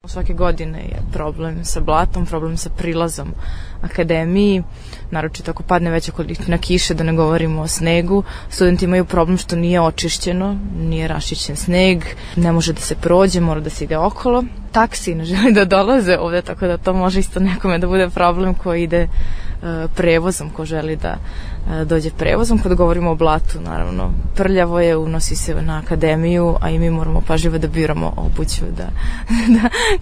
Svake godine je problem sa blatom, problem sa prilazom akademiji, naročito ako padne veća količina kiše, da ne govorimo o snegu. Studenti imaju problem što nije očišćeno, nije raščišćen sneg, ne može da se prođe, mora da se ide okolo. Taksi ne želi da dolaze ovde, tako da to može isto nekome da bude problem ko ide prevozom, ko želi da dođe prevozom. Kad govorimo o blatu, naravno, prljavo je, unosi se na akademiju, a i mi moramo pažljivo da biramo obuću, da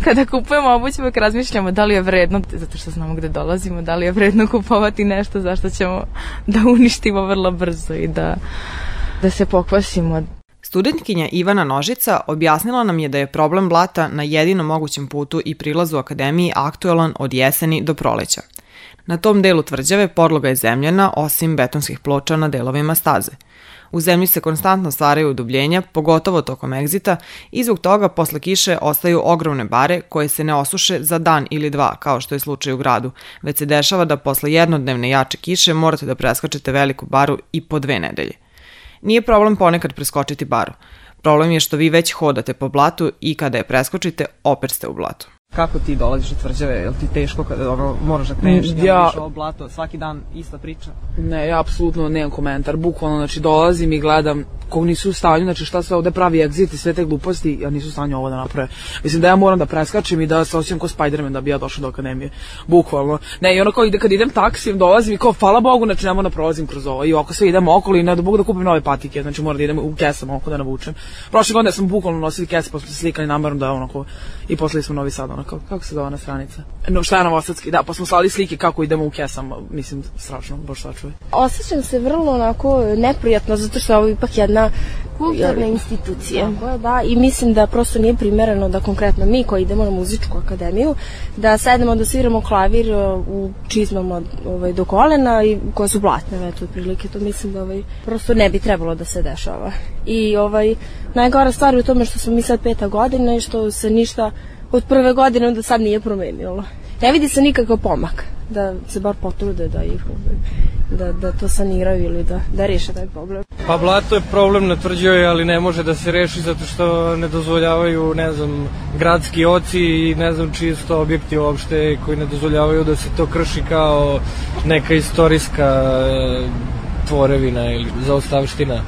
kada kupujemo obuću uvek razmišljamo da li je vredno, zato što znamo gde dolazimo, da li je vredno kupovati nešto zašto ćemo da uništimo vrlo brzo i da se pokvasimo. Studentkinja Ivana Nožica objasnila nam je da je problem blata na jedinom mogućem putu i prilazu akademiji aktuelan od jeseni do proleća. Na tom delu tvrđave podloga je zemljana, osim betonskih ploča na delovima staze. U zemlji se konstantno stvaraju udubljenja, pogotovo tokom egzita, i zbog toga posle kiše ostaju ogromne bare koje se ne osuše za dan ili dva, kao što je slučaj u gradu, već se dešava da posle jednodnevne jače kiše morate da preskačete veliku baru i po 2 nedelje. Nije problem ponekad preskočiti baru. Problem je što vi već hodate po blatu i kada je preskočite, opet ste u blatu. Kako ti dolaziš od tvrđave? Je li ti teško kada moraš da kreneš, ideš ovo blato, svaki dan ista priča? Ne, ja apsolutno nemam komentar. Bukvalno, znači, dolazim i gledam kako nisu u stanju, znači šta se ovde pravi egzit i sve te gluposti, ja nisu u stanju ovo da naprave. Mislim da ja moram da preskačem i da se osjećam kao Spider-Man da bi ja došao do akademije. Bukvalno. Ne, i ono kao kad idem taksijem, dolazim i kao, hvala Bogu, znači ne moram da prolazim kroz ovo. I oko sve idem okolo i ne da Bogu da kupim nove patike, znači moram da idem u kesama oko da navučem. Prošle godine sam bukvalno nosili kese, pa smo se slikali namerom da onako i poslali smo Novi Sad, onako, kako se zove ona stranica? No, šta je Novosadski, da, pa smo slali slike kako idemo u kesama, mislim, strašno, baš sačuvaj. Osjećam se vrlo onako neprijatno, zato što je ovo ipak jedna kulturna institucija. Da, i mislim da prosto nije primereno da konkretno mi koji idemo na muzičku akademiju, da sedemo da sviramo klavir u čizmama do kolena i koje su blatne, eto, otprilike, to mislim da prosto ne bi trebalo da se dešava. I najgora stvar je u tome što smo mi sad 5. godina i što se ništa od prve godine do sad nije promenilo. Ne vidi se nikakav pomak, da se bar potrude da to saniraju ili da reše taj problem. Pa blato je problem na tvrđavi, ali ne može da se reši zato što ne dozvoljavaju, ne znam, gradski oci i ne znam čiji su to objekti uopšte koji ne dozvoljavaju da se to krši kao neka istorijska tvorevina ili zaostavština.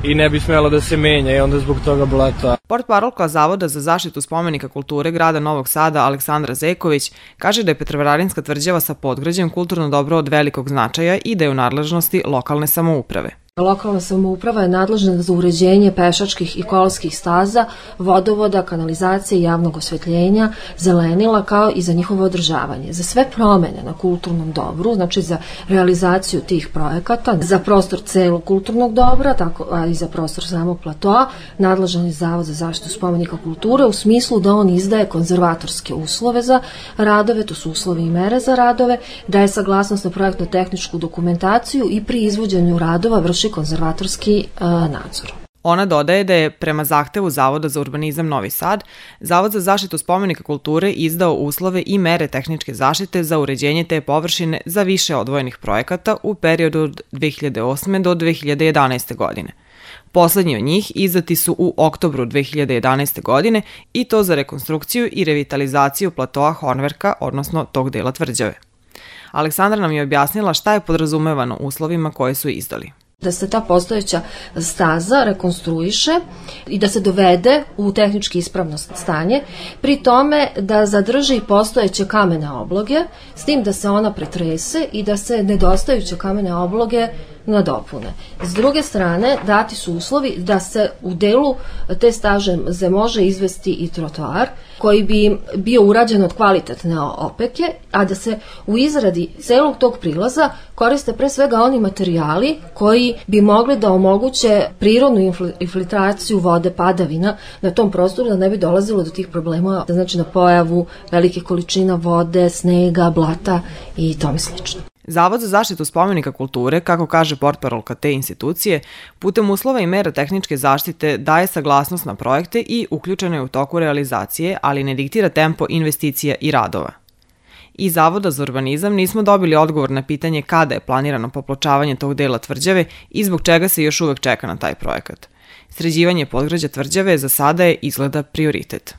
I ne bi smjelo da se menja i onda zbog toga blato. Portparolka Zavoda za zaštitu spomenika kulture grada Novog Sada Aleksandra Zeković kaže da je Petrovaradinska tvrđava sa podgrađem kulturno dobro od velikog značaja i da je u nadležnosti lokalne samouprave. Lokalna samouprava je nadležna za uređenje pešačkih i kolskih staza, vodovoda, kanalizacije, javnog osvetljenja, zelenila kao i za njihovo održavanje. Za sve promene na kulturnom dobru, znači za realizaciju tih projekata, za prostor celog kulturnog dobra, tako i za prostor samog platoa, nadležan je Zavod za zaštitu spomenika kulture u smislu da on izdaje konzervatorske uslove za radove, to su uslovi i mere za radove, daje saglasnost na projektno-tehničku dokumentaciju i pri izvođenju radova vrši konzervatorski nadzor. Ona dodaje da je prema zahtevu Zavoda za urbanizam Novi Sad, Zavod za zaštitu spomenika kulture izdao uslove i mere tehničke zaštite za uređenje te površine za više odvojenih projekata u periodu od 2008. do 2011. godine. Poslednji od njih izdati su u oktobru 2011. godine i to za rekonstrukciju i revitalizaciju platoa Hornverka, odnosno tog dela tvrđave. Aleksandra nam je objasnila šta je podrazumevano uslovima koje su izdali. Da se ta postojeća staza rekonstruiše i da se dovede u tehnički ispravno stanje, pri tome da zadrži postojeće kamene obloge, s tim da se ona pretrese i da se nedostajuće kamene obloge nadopune. S druge strane, dati su uslovi da se u delu te staze može izvesti i trotoar, koji bi bio urađen od kvalitetne opeke, a da se u izradi celog tog prilaza koriste pre svega oni materijali koji bi mogli da omoguće prirodnu infiltraciju vode padavina na tom prostoru, da ne bi dolazilo do tih problema, znači na pojavu velike količina vode, snega, blata i tome slično. Zavod za zaštitu spomenika kulture, kako kaže portparolka te institucije, putem uslova i mera tehničke zaštite daje saglasnost na projekte i uključeno je u toku realizacije, ali ne diktira tempo investicija i radova. Iz Zavoda za urbanizam nismo dobili odgovor na pitanje kada je planirano popločavanje tog dela tvrđave i zbog čega se još uvek čeka na taj projekat. Sređivanje podgrađa tvrđave za sada je izgleda prioritet.